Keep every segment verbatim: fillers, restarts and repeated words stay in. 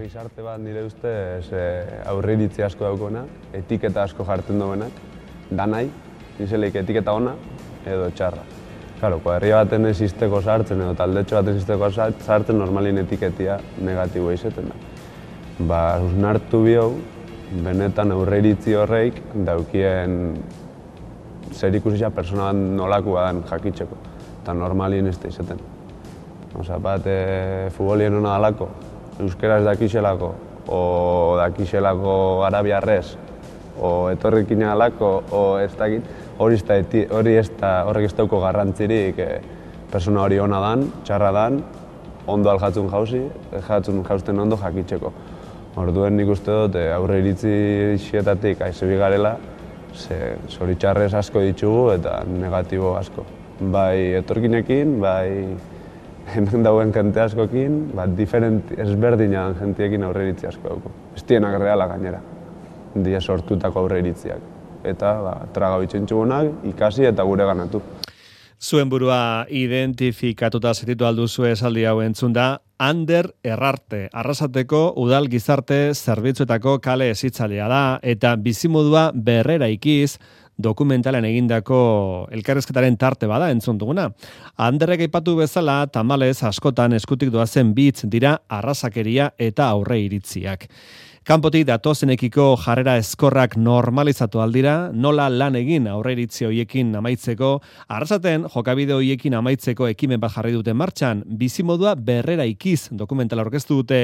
gizarte bat nire ustez aurreiritzi asko daukona, etiketa asko jartzen duenak, danai, nizeleik etiketa ona edo txarra. Claro, kuadrilla baten existeko sartzen edo taldetxo baten existeko sartzen normalin etiketia negatiboa izeten da. Ba, usnartu bihau, benetan aurreiritzi horreik daukien zer ikusitza persona bat nolaku badan jakitzeko, eta normalin ez da izaten. Osa, bat, e, futbolien hona dalako, euskeraz dakixelako, o dakixelako arabiarrez, o etorrikin alako, o ez dakit, hori ez da, horrek ez dauko garrantzirik e, persona hori ona dan, txarra dan, ondo aljatzun jauzi, jatzun jausten ondo jakitzeko. Orduen nik uste dut aurre iritzi xietatik aizebi garela, ze zoritxarrez asko ditugu eta negatibo asko. Bai etorkinekin, bai hemen dauen jente askokin, bat diferent ezberdina den jentiekin aurre iritzi asko dauko. Ez dienak reala gainera, dia sortutako aurre iritziak. Eta ba, traga bitxentxugunak, ikasi eta gure ganatu. Zuen burua identifikatuta zetitu alduzu esaldi hau entzun da, Ander Errarte, Arrasateko udal gizarte zerbitzuetako kale hezitzailea da eta bizimodua berrera ikiz dokumentalen egindako elkarrizketaren tarte bada entzun duguna. Anderrek aipatu bezala, tamalez askotan eskutik doazen bitz dira arrasakeria eta aurre iritziak. Kanpotik datozenekiko jarrera ezkorrak normalizatu aldira, nola lan egin aurre iritzi hoiekin amaitzeko, Arrasaten jokabide hoiekin amaitzeko ekimen bat jarri dute martxan, bizimodua berrera ikiz dokumentala aurkeztu dute,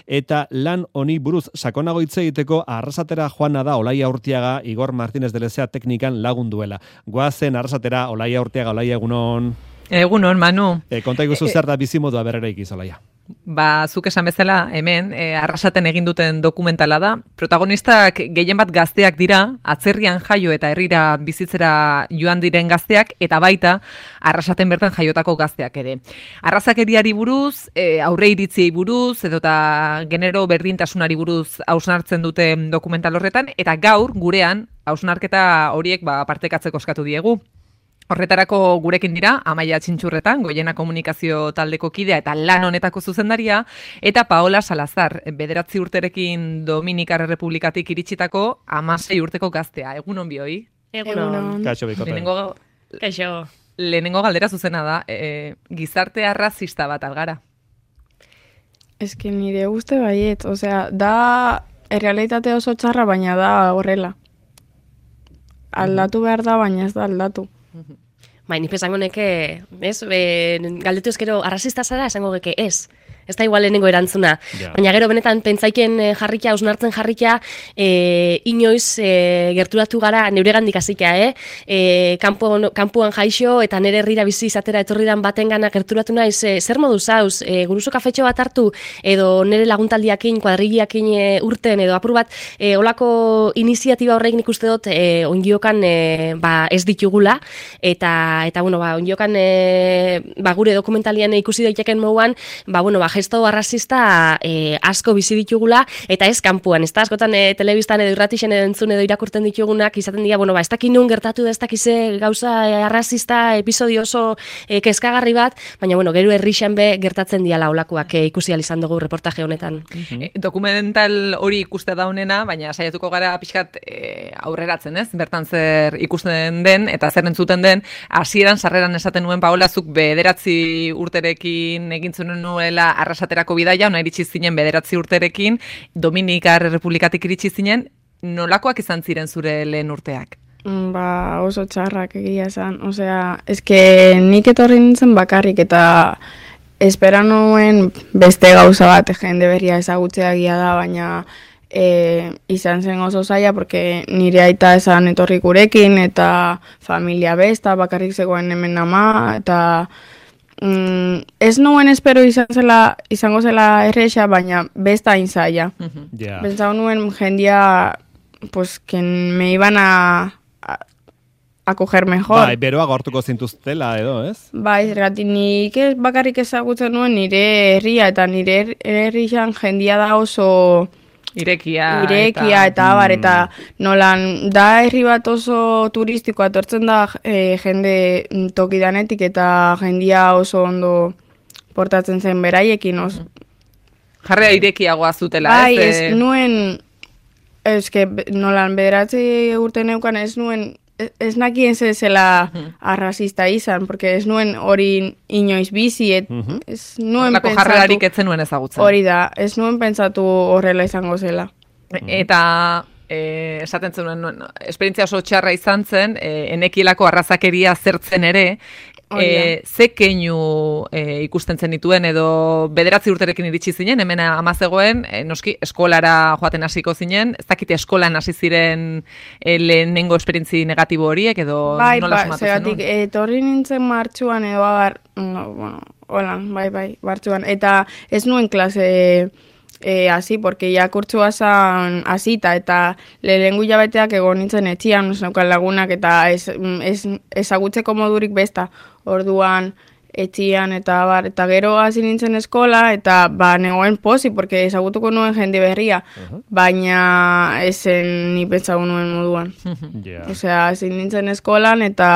eta lan honi buruz sakonago hitz egiteko Arrasatera joana da Olaia Urtiaga, Igor Martínez de Lezea teknikan lagunduela. Goazen Arrasatera, Olaia Urtiaga, Olaia egunon. Egunon, Manu. E, konta iguzu zer da bizimodua berrera ikiz, Olaia. Ba, zuk esan bezala, hemen, e, Arrasaten egin duten dokumentala da. Protagonistak gehien bat gazteak dira, atzerrian jaio eta herrira bizitzera joan diren gazteak, eta baita, Arrasaten bertan jaiotako gazteak ere. Arrazakeriari buruz, e, aurre iritziei buruz, edo eta genero berdintasunari buruz hausnartzen dute dokumental horretan, eta gaur, gurean, hausnarketa horiek ba, partekatzeko eskatu diegu. Horretarako gurekin dira, Amaia Txintxurretan, Goiena Komunikazio taldeko kidea eta lan honetako zuzendaria, eta Paola Salazar, bederatzi urterekin Dominikar Errepublikatik iritsitako hamasei urteko gaztea. Egunon bioi? Egunon. Kaixo bikote. Lehenengo, Kaixo. lehenengo galdera zuzena da, e, gizarte arrazista bat algara. Ez que nire uste baiet, osea, da errealitate oso txarra, baina da horrela. Aldatu behar da, baina ez da aldatu. Bai, nipe esango neke, ez, e, galdetu ezkero arrazista zara, esango geke ez. Ez da igual lehenengo erantzuna. Yeah. Baina gero benetan pentsaiken jarrikia, ausnartzen jarrikia, e, inoiz e, gerturatu gara neuregandik hasika, eh? E, kampuan, kampuan jaixo eta nere herrira bizi izatera etorridan batengana gerturatu naiz, e, zer modu zauz, e, guruso kafetxo bat hartu, edo nere laguntaldiakin, kuadrillakin e, urten, edo apur bat, e, olako iniziatiba horreik nik uste dut, e, ongiokan e, ba, ez ditugula, eta, eta bueno, ba, ongiokan e, ba, gure dokumentalian ikusi daiteken moduan, ba, bueno, ba, gesto arrazista e, asko bizi ditugula, eta ez kanpuan, ez da askotan e, telebistan edo irratixen edo entzun edo irakurten ditugunak, izaten dira, bueno, ba, ez dakin nun gertatu da, ez dakize gauza e, arrazista, episodio oso e, kezkagarri bat, baina, bueno, gero herrixen be gertatzen diala olakoak e, ikusi izan dugu reportaje honetan. Mm-hmm. e, dokumental hori ikuste da honena, baina saiatuko gara pixkat e, aurreratzen, ez? Bertan zer ikusten den, eta zer entzuten den, hasieran sarreran esaten nuen Paola, zuk bederatzi urterekin egin zuen nuela Arrasaterako bidaia, ona iritsi zinen bederatzi urterekin, Dominikar Errepublikatik iritsi zinen, nolakoak izan ziren zure lehen urteak? Ba, oso txarrak egia esan. Osea, eske nik etorri nintzen bakarrik eta espera nuen beste gauza bat jende berria ezagutzea egia da, baina e, izan zen oso zaila, porque nire aita esan etorri gurekin, eta familia besta, bakarrik zegoen hemen ama, eta Mm, ez nuen espero izan zela, izango zela erresa, baina besta hain zaila. Mm-hmm. Yeah. Pentsau nuen jendia, pues, que me iban a, a, a coger mejor. Bai, beroa gortuko zintuztela edo, ez? Bai, zergatik nik ez bakarrik ezagutzen nuen nire herria, eta nire herrian jendia da oso Irekia, Irekia eta, eta abar, eta nolan da herri bat oso turistikoa etortzen da e, jende tokidanetik eta jendia oso ondo portatzen zen beraiekin oso. Jarrea irekiagoa zutela, bai, ez? ez nuen, ez que nolan bederatzi urte neukan ez nuen, ez nakien zela arrazista izan, porque ez nuen hori inoiz bizi, et, ez nuen Horlako pentsatu... jarrerarik etzen nuen ezagutzen. Hori da, ez nuen pentsatu horrela izango zela. Eta e, esaten zenuen, no, esperientzia oso txarra izan zen, e, enekielako arrazakeria zertzen ere, e, ze keinu e, ikusten zen dituen, edo bederatzi urterekin iritsi zinen, hemen ama zegoen, e, noski eskolara joaten hasiko zinen, ez dakite eskolan hasi ziren e, lehenengo esperientzi negatibo horiek, edo bai, nola ba, sumatu zegatik, zenuen? etorri nintzen martxuan edo abar, no, bueno, holan, bai, bai, martxuan, eta ez nuen klase... E, así, porque ya kurtsua zan hasita eta lehengu jabeteak egon nintzen etxian, ez neukan lagunak eta ez, ez, ezagutzeko modurik besta, orduan etxian eta bar, eta gero hasi nintzen eskola eta ba negoen posi, porque ezagutuko nuen jende berria, uh-huh. baina esen ni pentsago nuen moduan. yeah. Osea, hasi nintzen eskolan eta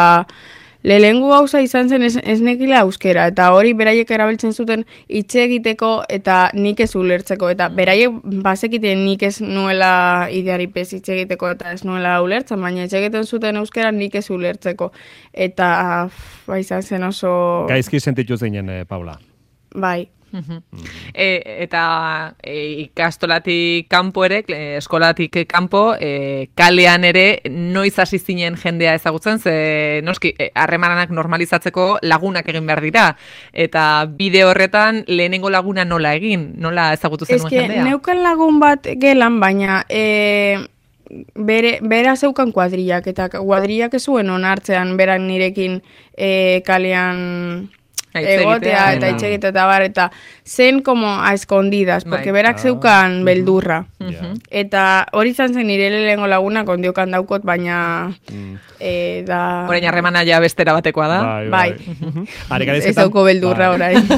lehengu gauza izan zen ez, ez nekila euskera, eta hori beraiek erabiltzen zuten hitz egiteko eta nik ez ulertzeko, eta beraiek bazekiten nik ez nuela ideari pez hitz egiteko eta ez nuela ulertzen, baina hitz egiten zuten euskera nik ez ulertzeko, eta ba, izan zen oso... Gaizki sentitu zinen, eh, Paula? Bai. E, eta e, ikastolatik kanpo ere, eskolatik kanpo, e, kalean ere noiz hasi zinen jendea ezagutzen, ze noski harremanak normalizatzeko lagunak egin behar dira, eta bide horretan lehenengo laguna nola egin, nola ezagutu zenuen jendea? Ez que neukan lagun bat gelan, baina e, bere, bera zeukan kuadrillak, eta kuadrillak ez zuen onartzean berak nirekin e, kalean... egotea eta itxegite eta bar, eta zen como a escondidas, porque berak zeukan beldurra. Eta hori izan zen nire lehengo laguna kondiokan daukot, baina e, da... Horein harremana ja bestera batekoa da. Bai. Ez dauko beldurra orain.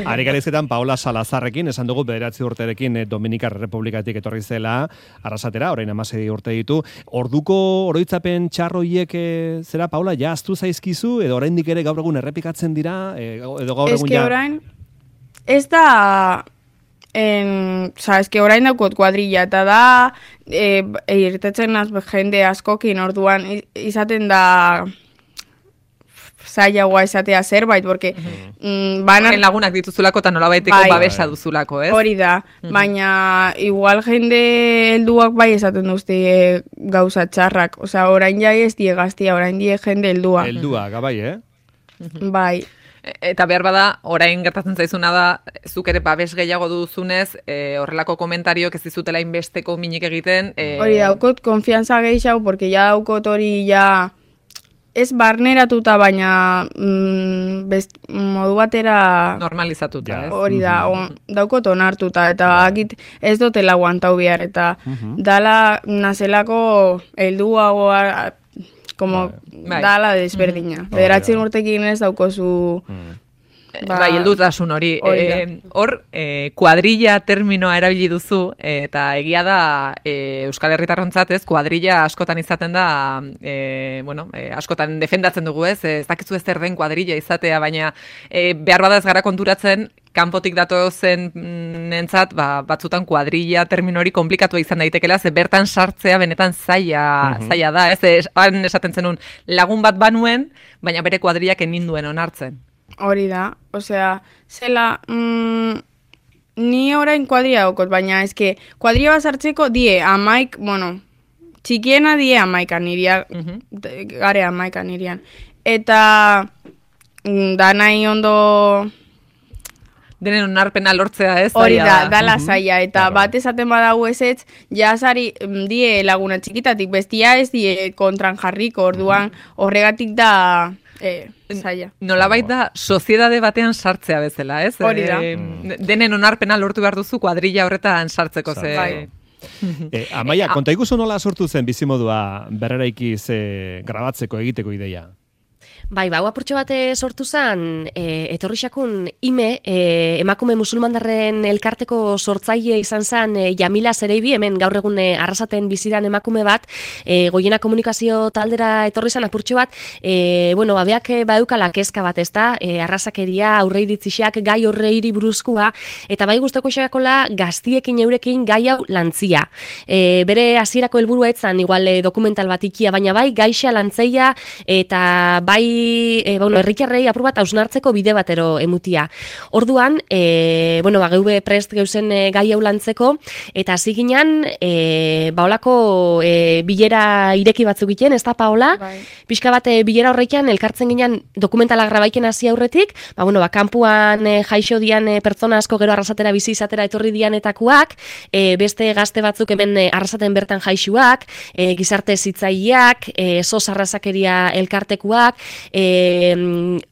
Arikarizketan Paola Salazarrekin, esan dugu bederatzi urterekin Dominikar Republikatik etorri zela, arrasatera, orain amasei urte ditu. Orduko oroitzapen txarroiek zera, Paula, ja aztu zaizkizu, edo oraindik ere gaur egun errepikatzen dira, edo gaur egun ja... Ez que orain, ez da... En, oza, ez que orain daukot kuadrilla, eta da e, irtetzen az jende askokin, orduan izaten da zailagoa izatea zerbait, porque mm, banar... Horren lagunak dituzulako eta nolabaiteko bai, babesa duzulako, ez? Hori da, baina igual jende helduak bai esaten duzte e, gauza txarrak, osea, orain jai ez die gaztia, orain die jende heldua. Heldua, gabai, eh? Bai. Eta behar bada, orain gertatzen zaizuna da, zuk ere babes gehiago duzunez, e, horrelako komentariok ez dizutela inbesteko minik egiten. E... Hori daukot, konfianza gehiago, porque ja daukot hori ja ez barneratuta, baina mm, best, modu batera... Normalizatuta, ez? Hori da, on, daukot onartuta, eta akit ez dutela guantau behar, eta dala nazelako helduagoa... como bai. Dala desberdina. Mm. Bederatzen urtekin ez daukozu... Mm. Ba, bai, heldutasun hori. Hor, e, e, kuadrilla terminoa erabili duzu, e, eta egia da e, Euskal Herritarrontzat ez, kuadrilla askotan izaten da, e, bueno, e, askotan defendatzen dugu ez, ez dakizu ez zer den kuadrilla izatea, baina e, behar bada ez gara konturatzen, kanpotik datozen nentzat, ba, batzutan kuadrilla termino hori komplikatua izan daitekela, ze bertan sartzea benetan zaila, uh-huh. zaila da, ez, han esaten zenun lagun bat banuen, baina bere kuadrillak eninduen onartzen. Hori da, osea, zela, mm, ni orain kuadria daukot, baina eske, kuadria bat sartzeko die amaik, bueno, txikiena die amaikan iria, uh-huh. gare amaikan irian. Eta, mm, da nahi ondo... Denen onarpena lortzea ez? Hori da, dala zaila, eta bat esaten badago ez ez, jasari die laguna txikitatik, bestia ez die kontran jarriko, orduan horregatik da... E, zaila. Nolabait da, soziedade batean sartzea bezala, ez? Hori da. E, denen onarpena lortu behar duzu kuadrilla horretan sartzeko, ze... Bai. E, Amaia, konta iguzu nola sortu zen bizimodua berreraiki ze grabatzeko egiteko ideia? Bai, ba, hau apurtxo bat sortu zen, e, etorri xakun ime, e, emakume musulmandarren elkarteko sortzaile izan zen e, Jamila Zereibi, hemen gaur egun e, Arrasaten bizidan emakume bat, e, goiena komunikazio taldera etorri zen apurtxo bat, e, bueno, ba, beak baeukala kezka bat, ez da, e, arrasakeria, aurreiritziak, gai horreiri buruzkoa, eta bai guztoko xakola gaztiekin eurekin gai hau lantzia. E, bere hasierako helburua etzan, igual e, dokumental bat ikia, baina bai gaixa lantzeia, eta bai E, bueno, herritarrei apur bat hausnartzeko bide batero emutia. Orduan, e, bueno, ba, geube prest geuzen e, gai hau lantzeko, eta hasi ginen, e, ba, olako e, bilera ireki batzuk egiten, ez da, Paola? Bai. Pixka bat, e, bilera horrekian, elkartzen ginen dokumentala grabaiken hasi aurretik, ba, bueno, ba, kanpuan e, jaixo dian e, pertsona asko gero Arrasatera bizi izatera etorri dianetakoak, e, beste gazte batzuk hemen e, Arrasaten bertan jaixuak, e, gizarte zitzaileak, e, sos arrasakeria elkartekuak, E,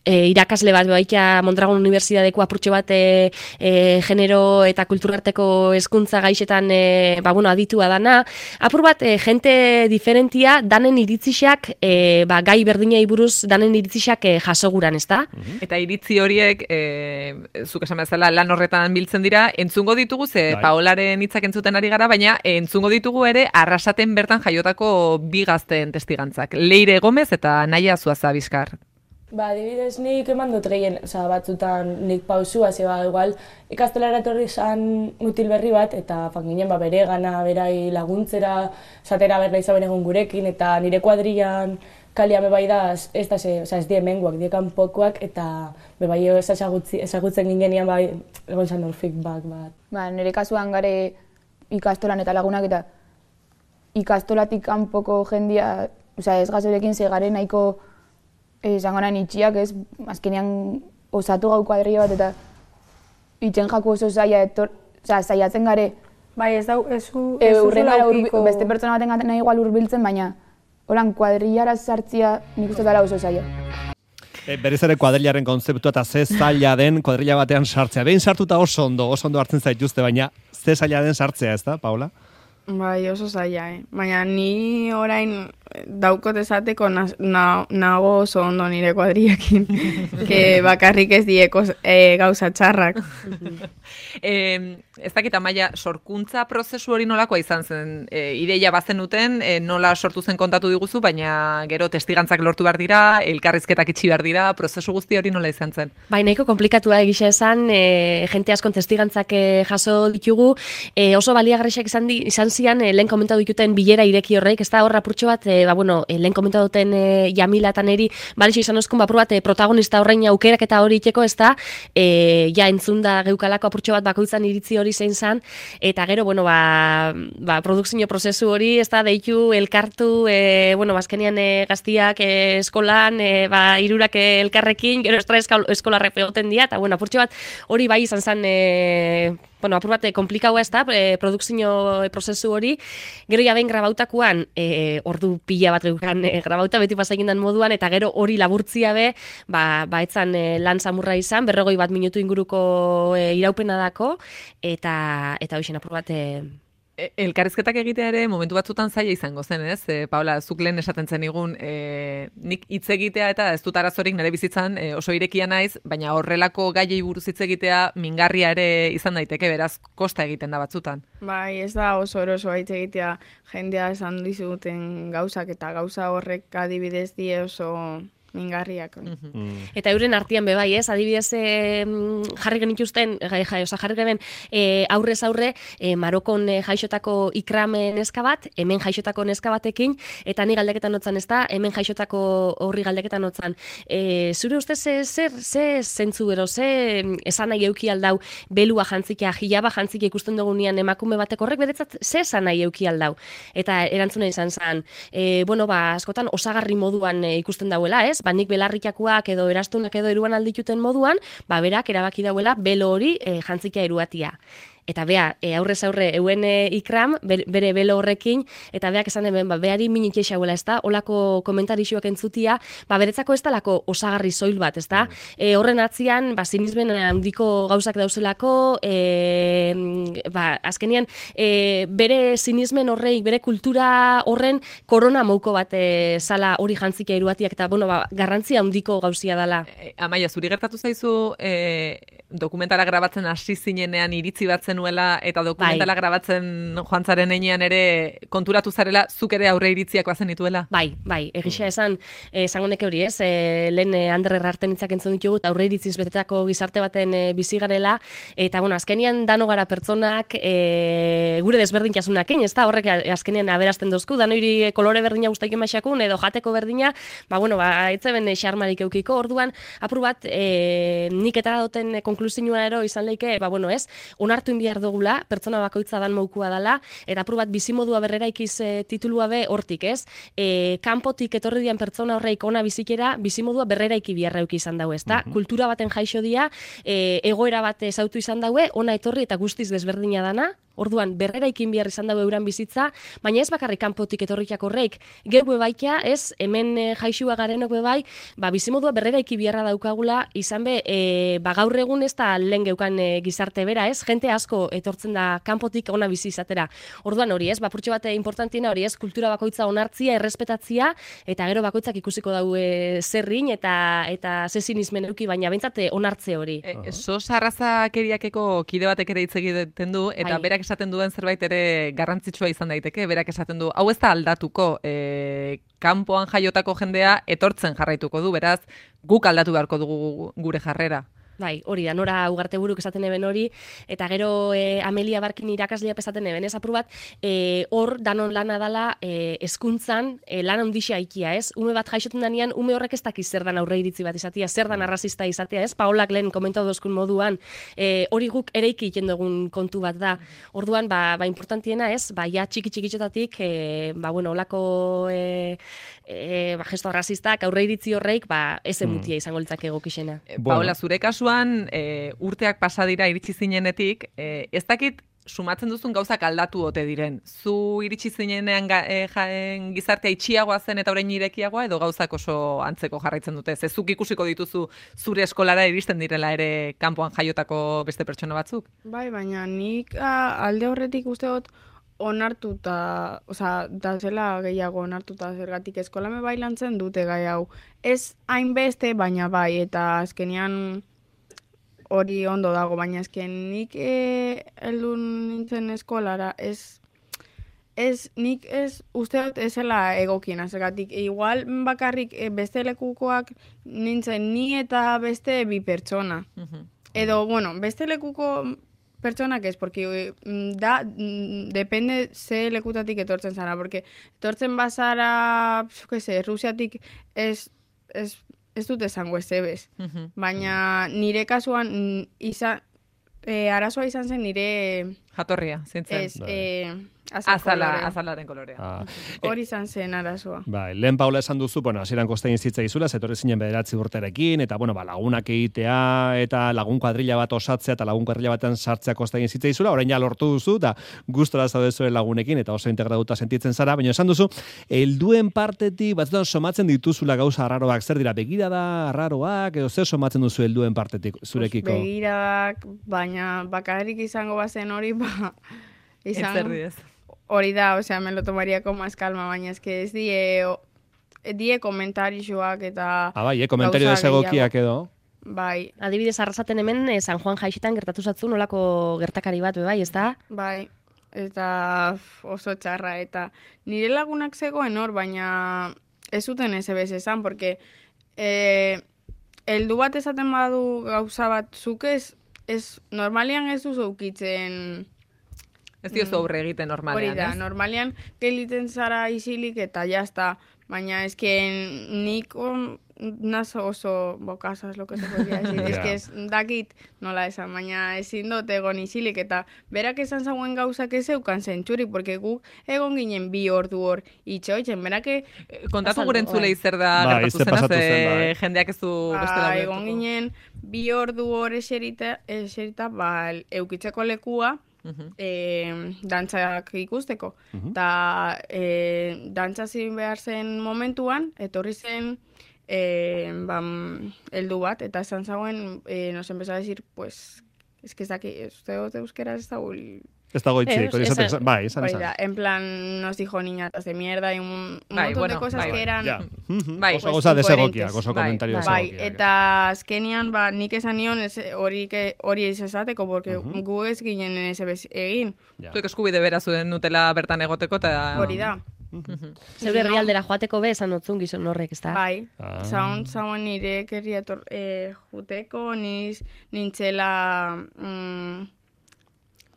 e, irakasle bat baikia Mondragon Unibertsitateko apurtxo bat e, e, genero eta kulturarteko hezkuntza gaixetan e, ba, bueno, aditua dana. Apur bat, e, jente diferentia danen iritzixak, e, ba, gai berdinei buruz danen iritzixak e, jasoguran, ez da? Eta iritzi horiek, e, zuk esan bezala lan horretan biltzen dira, entzungo ditugu, ze Dai. Paolaren hitzak entzuten ari gara, baina entzungo ditugu ere Arrasaten bertan jaiotako bi gazteen testigantzak. Leire Gomez eta Naia Zuaza Bizkar. Ba, adibidez nik eman dut gehien, oza, batzutan nik pausua, ze ba, igual, ikastolara etorri zan mutil berri bat, eta fan ginen, ba, bere gana, berai laguntzera, zatera berla izan egun gurekin, eta nire kuadrilan kalia bebai da, ez da, ze, oza, ez die menguak, die kanpokoak, eta bebai ezagutzen ginen bai, egon zan hor feedback bat. Ba, nire kasuan gare ikastolan eta lagunak, eta ikastolatik kanpoko jendia, oza, ez gazorekin ze gare nahiko esango nahi itxiak, ez, azkenean osatu gau kuadrilla bat, eta itxen jaku oso zaila, etor, oza, zailatzen gare. Bai, ez da, ez zu, e, urrena urbi, beste pertsona baten nahi igual urbiltzen, baina holan kuadrillara sartzia nik uste dara oso zaila. E, berriz ere kuadrillaren konzeptua eta ze zaila den kuadrilla batean sartzea. Behin sartuta oso ondo, oso ondo hartzen zaituzte, baina ze zaila den sartzea, ez da, Paula? Bai, oso zaila, eh? Baina ni orain daukot esateko na, na, nago oso ondo nire kuadriekin, que bakarrik ez dieko e, gauza txarrak. e, ez dakit Amaia, sorkuntza prozesu hori nolakoa izan zen? E, ideia bazenuten, e, nola sortu zen kontatu diguzu, baina gero testigantzak lortu behar dira, elkarrizketak itxi behar dira, prozesu guzti hori nola izan zen? Bai, nahiko komplikatua egisa esan, e, jente askon testigantzak e, jaso ditugu, e, oso baliagarriak izan, di, izan zian, e, lehen komentatu dituten bilera ireki horreik, ez da horra apurtxo bat, e, ba, bueno, e, lehen komentatu duten e, Jamila eta neri, balixo izan oskun, ba, bat, e, protagonista horrein aukerak eta hori itxeko, ez da, e, ja entzunda geukalako apurtxo bat bakoitzan iritzi hori zein zan, eta gero, bueno, ba, ba produkzio prozesu hori, ez da, deitu, elkartu, e, bueno, bazkenian e, gaztiak e, eskolan, e, ba, irurak e, elkarrekin, gero estra eskolarrek pegoten dira, eta, bueno, apurtxo bat hori bai izan zan, e, bueno, apur bat, komplikaua ez da, e, produkzio prozesu hori, gero jabein grabautakuan, e, ordu pila bat geukan e, grabauta beti pasakindan moduan, eta gero hori laburtzia be, ba, ba etzan e, lan samurra izan, berrogoi bat minutu inguruko e, iraupena dako, eta, eta hoxen apur bat... E, Elkarrizketak egitea ere momentu batzutan zaila izango zen, ez? E, Paula, zuk lehen esaten zen igun, e, nik hitz egitea eta ez dut arazorik nire bizitzan e, oso irekia naiz, baina horrelako gaiei buruz hitz egitea mingarria ere izan daiteke, beraz, kosta egiten da batzutan. Bai, ez da oso erosoa hitz egitea jendea esan dizuten gauzak eta gauza horrek adibidez die oso... mingarriak. Mm. Eta euren artean bebai, ez? Adibidez, e, jarri genituzten, jai, jai, oza, jarri genen e, aurrez aurre, e, Marokon e, jaixotako ikrame neska bat, hemen jaixotako neska batekin, eta ni galdeketan notzan, ez da, hemen jaixotako horri galdeketan notzan. E, zure ustez, zer, ze zentzu ero, ze esan nahi euki aldau, belua jantzikia, jilaba jantzikia ikusten dugunean emakume batek horrek beretzat, ze esan nahi euki aldau. Eta erantzuna izan zen, e, bueno, ba, askotan osagarri moduan e, ikusten dauela, ez? Ba, nik belarrikakoak edo erastunak edo eruan aldituten moduan, ba, berak erabaki dauela belo hori e, jantzikia eruatia. eta bea, e, aurrez aurre euen e, ikram, bere, bere belo horrekin, eta beak esan hemen, ba, beari minik eixauela, ez da, olako komentarixuak entzutia, ba, beretzako ez talako osagarri soil bat, ez da, e, horren atzian, ba, sinismen handiko gauzak dauzelako, e, ba, azkenian, e, bere sinismen horrei, bere kultura horren korona mouko bat e, sala hori jantzika iruatiak, eta, bueno, ba, garrantzia handiko gauzia dela. E, Amaia, zuri gertatu zaizu e, dokumentala grabatzen hasi zinenean iritzi bat zenuela eta dokumentala bai. grabatzen joan zaren einean ere konturatu zarela zuk ere aurre iritziak bazen dituela? Bai, bai, egisa esan, esango neke hori ez, e, lehen e, Ander Errarten hitzak entzun ditugu, eta aurre iritziz betetako gizarte baten e, bizi garela, eta bueno, azkenian dano gara pertsonak e, gure desberdintasunakin, ez da, horrek azkenian aberazten dozku, danoiri kolore berdina guztaiken maixakun, edo jateko berdina, ba bueno, ba, etzeben xarmarik eukiko, orduan, apur bat, e, nik etara duten konklusioa ero izan leike, ba bueno, ez, onartu inbiar dugula, pertsona bakoitza dan moukua dala, eta apur bat bizimodua berrera ikiz e, titulua be hortik, ez? E, kanpotik etorri dian pertsona horreik ona bizikera, bizimodua berrera iki biarra euki izan daue, ez da? Mm-hmm. Kultura baten jaixo dia, e, egoera bat ezautu izan daue, ona etorri eta guztiz desberdina dana, orduan berrera ikin behar izan dago euran bizitza, baina ez bakarrik kanpotik etorriak horreik, geu bebaikia, ez, hemen e, jaixua garenok bebai, ba, bizimodua berrera iki biharra daukagula, izan be, e, ba, gaur egun ez da lehen geukan e, gizarte bera, ez, jente asko etortzen da kanpotik ona bizi izatera. Orduan hori, ez, bapurtxo bate importantiena hori, ez, kultura bakoitza onartzia, errespetatzia, eta gero bakoitzak ikusiko daue zerrin, eta eta zezinizmen euki, baina bentsate onartze hori. E, sos arrazakeriakeko kide batek ere hitz egiten du, eta berak esaten duen zerbait ere garrantzitsua izan daiteke, berak esaten du, hau ez da aldatuko, e, kanpoan jaiotako jendea etortzen jarraituko du, beraz, guk aldatu beharko dugu gure jarrera. Bai, hori da, Nora Ugarte buruk esaten eben hori, eta gero e, Amelia Barkin irakasleak esaten eben, ez apur bat, e, hor danon lana dala e, hezkuntzan e, lan handixa ikia, ez? Ume bat jaixoten danean, ume horrek ez dakiz zer dan aurre iritzi bat izatea, zer dan arrazista izatea, ez? Paolak lehen komentatu dozkun moduan, e, hori guk ere ikiten dugun kontu bat da. Orduan, ba, ba importantiena, ez? Ba, ja txiki txikitxotatik, e, ba, bueno, olako e, e, ba, gesto arrazistak, aurre iritzi horreik, ba, ez emutia izango litzake egokixena. E, Paola, zure kasu E, urteak pasa dira iritsi zinenetik, e, ez dakit sumatzen duzun gauzak aldatu ote diren. Zu iritsi zinenean ga, e, jaen, gizartea itxiagoa zen eta orain irekiagoa, edo gauzak oso antzeko jarraitzen dute. Zezuk ikusiko dituzu zure eskolara iristen direla ere kanpoan jaiotako beste pertsona batzuk? Bai, baina nik a, alde horretik uste dut onartuta, osea, da zela gehiago onartuta zergatik eskolame bailantzen dute gai hau. Ez hainbeste, baina bai, eta azkenean hori ondo dago, baina ezken nik e, heldu nintzen eskolara, ez, ez, nik ez, uste dut ezela egokiena, zergatik, e, igual bakarrik e, beste lekukoak nintzen ni eta beste bi pertsona. Uh-huh. Edo, bueno, beste lekuko pertsonak ez, porque da, depende ze lekutatik etortzen zara, porque etortzen bazara, que se, Rusiatik ez, ez, ez dut esango ez ebez. Uh-huh. Baina nire kasuan izan, e, arazoa izan zen nire... Jatorria, zintzen. Ez, e, Azala, azalaren kolorea. Ah. Hori izan zen arazoa. Bai, lehen Paula esan duzu, bueno, hasieran kostein zitza izula, zetorri zinen bederatzi urterekin, eta bueno, ba, lagunak egitea, eta lagun kuadrilla bat osatzea, eta lagun kuadrilla baten sartzea kostein zitza izula, orain ja lortu duzu, eta gustora zaude zuen lagunekin, eta oso integratuta sentitzen zara, baina esan duzu, helduen partetik, batzutan somatzen dituzula gauza arraroak, zer dira, begirada arraroak, edo zer somatzen duzu helduen partetik zurekiko? Pues begiradak, baina bakarrik izango bazen hori, ba, izan... Hori da, osea, me lo tomaría con más calma, baina ez que ez die, die komentarixoak eta... Ah, bai, eh, komentario desegokiak edo. Bai. Adibidez, arrasaten hemen, eh, San Juan Jaixetan gertatu zatzu nolako gertakari bat, bai, ez da? Bai, eta oso txarra, eta nire lagunak zegoen hor, baina ez zuten ez ebez esan, porque eh, heldu bat esaten badu gauza bat zuk ez, ez normalian ez duzu ukitzen... Ez diozu aurre egiten normalean, hori da, ez? Normalean geliten zara isilik eta jazta, baina esken nik on, nazo oso bokazaz lo que se podría decir, yeah. Eske ez dakit nola esan, baina ezin dut egon isilik eta berak esan zauen gauzak ez eukan zentxurik, porque guk egon ginen bi ordu hor itxoitzen, berak... Kontatu gure entzulei zer da ba, gertatu zenaz, zen, jendeak ez du ba, beste da egon ginen bi ordu hor eserita, eserita ba, eukitzeko lekua, e, dantzak ikusteko. Eta e, dantza zin behar zen momentuan, etorri zen e, bam, eldu bat, eta esan zagoen, e, nos empezó a decir, pues, es que ez daki, uste dut euskera ez dago... Ez dago itxik, hori esaten, bai, esan esan. En plan, nos dijo niñatas de mierda y un, un bai, montón bueno, de cosas bai, que eran... Ja. Bai, oso goza desegokiak, oso bai, komentario Bai, desegokiak. eta azkenian, ba, nik esan nion ez- hori ke- hori ez esateko, porque gu ez ginen ez ebez egin. Ja. Zuek eskubide bera zuen nutela bertan egoteko, eta... Hori da. Zeure herrialdera joateko be esan otzun gizon horrek, ez da? Bai, Ah. zaun, zaun nire kerria tor, eh, juteko, niz, nintzela... Mm,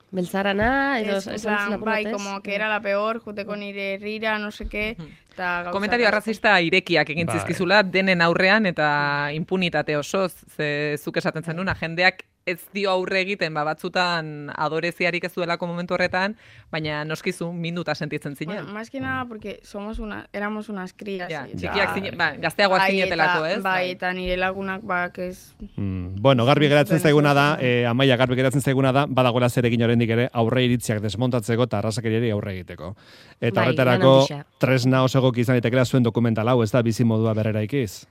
Beltzarana, edo es, esan plan, zuen bai, apur batez? como que era la peor, juteko nire herrira, no sé qué, eta gauza Komentario asko. arrazista irekiak egin Bai. zizkizula denen aurrean eta impunitate osoz, ze zuk esaten zenuna, jendeak ez dio aurre egiten, ba, batzutan adoreziarik ez duelako momentu horretan, baina noskizu minuta sentitzen zinen. Bueno, más que nada porque somos una, éramos unas crías. Ja, eta- txikiak zine, ba, gazteagoak bai, zinetelako, eta- ez? Bai, eta nire lagunak, ba, que ez... Mm, bueno, garbi geratzen zaiguna da, eh, Amaia garbi geratzen zaiguna da, badagoela zerekin oraindik ere aurre iritziak desmontatzeko eta arrazakeriari aurre egiteko. Eta Bai, horretarako lan handia. tresna oso egoki izan daitekeela zuen dokumental hau, ez da bizi modua berreraikiz.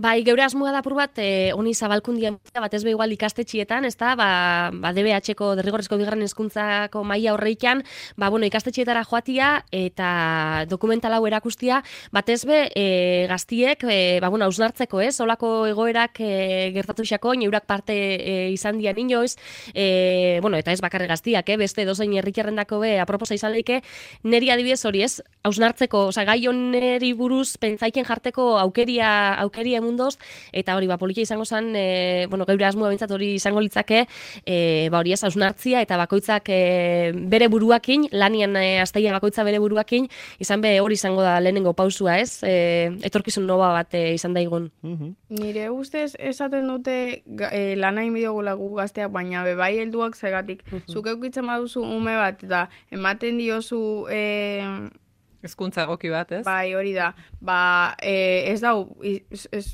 Bai, geure asmoa da apur bat, eh, honi zabalkundia bat ez be igual ikastetxietan, ez da, ba, ba D B H-ko derrigorrezko bigarren hezkuntzako maila horreikan, ba, bueno, ikastetxietara joatia eta dokumental hau erakustia, batez be, e, gaztiek, e, ba, bueno, hausnartzeko, ez, olako egoerak e, gertatu xako, neurak parte e, izan dian inoiz, e, bueno, eta ez bakarri gaztiak, eh, beste dozein herritarrendako be, aproposa izan leike, neri adibidez hori, ez, hausnartzeko, oza, gai honeri buruz pentsaiken jarteko aukeria, aukeria mundoz, eta hori, ba, politia izango zen, e, bueno, geure asmoa bintzat hori izango litzake, e, ba, hori ez, hausnartzia, eta bakoitzak e, bere buruakin, lanian e, azteian bakoitza bere buruakin, izan be hori izango da lehenengo pausua, ez, e, etorkizun noba bat e, izan daigun. Nire ustez esaten dute ga- eh, lana inbidiogula gu gazteak, baina be bai helduak zegatik. Zuk eukitzen baduzu ume bat, eta ematen diozu... Eh, Hezkuntza egoki bat, ez? bai, hori da. Ba, eh, ez dau... Ez, ez,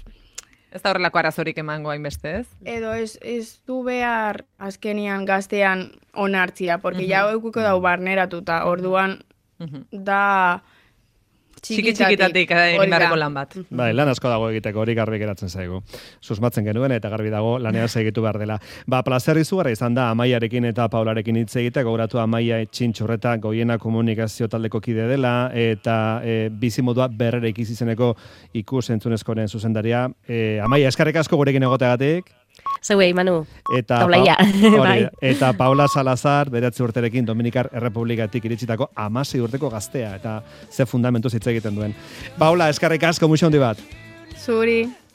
Ez da horrelako arazorik emango hainbeste, ez? edo ez, ez du behar azkenian gaztean onartzia, porque ja eukuko dau barneratuta, orduan da... Txiki txikitatik hori egin da. beharreko lan bat. Bai, lan asko dago egiteko, hori garbi geratzen zaigu. Susmatzen genuen eta garbi dago lanean segitu behar dela. Ba, plazer izugarra izan da Amaiarekin eta Paularekin hitz egitea, gogoratu Amaia Txintxurreta Goiena komunikazio taldeko kide dela eta e, bizimodua berrera ikiz izeneko ikus entzunezkoren zuzendaria. E, Amaia, eskarrik asko gurekin egoteagatik. Zeuei, Manu, Eta, taulaia, hori, bai. eta Paula Salazar, beratzi urterekin Dominikar Errepublikatik iritsitako amasei urteko gaztea, eta ze fundamentu hitz egiten duen. Paula, eskarrik asko, muixo handi bat. Zuri.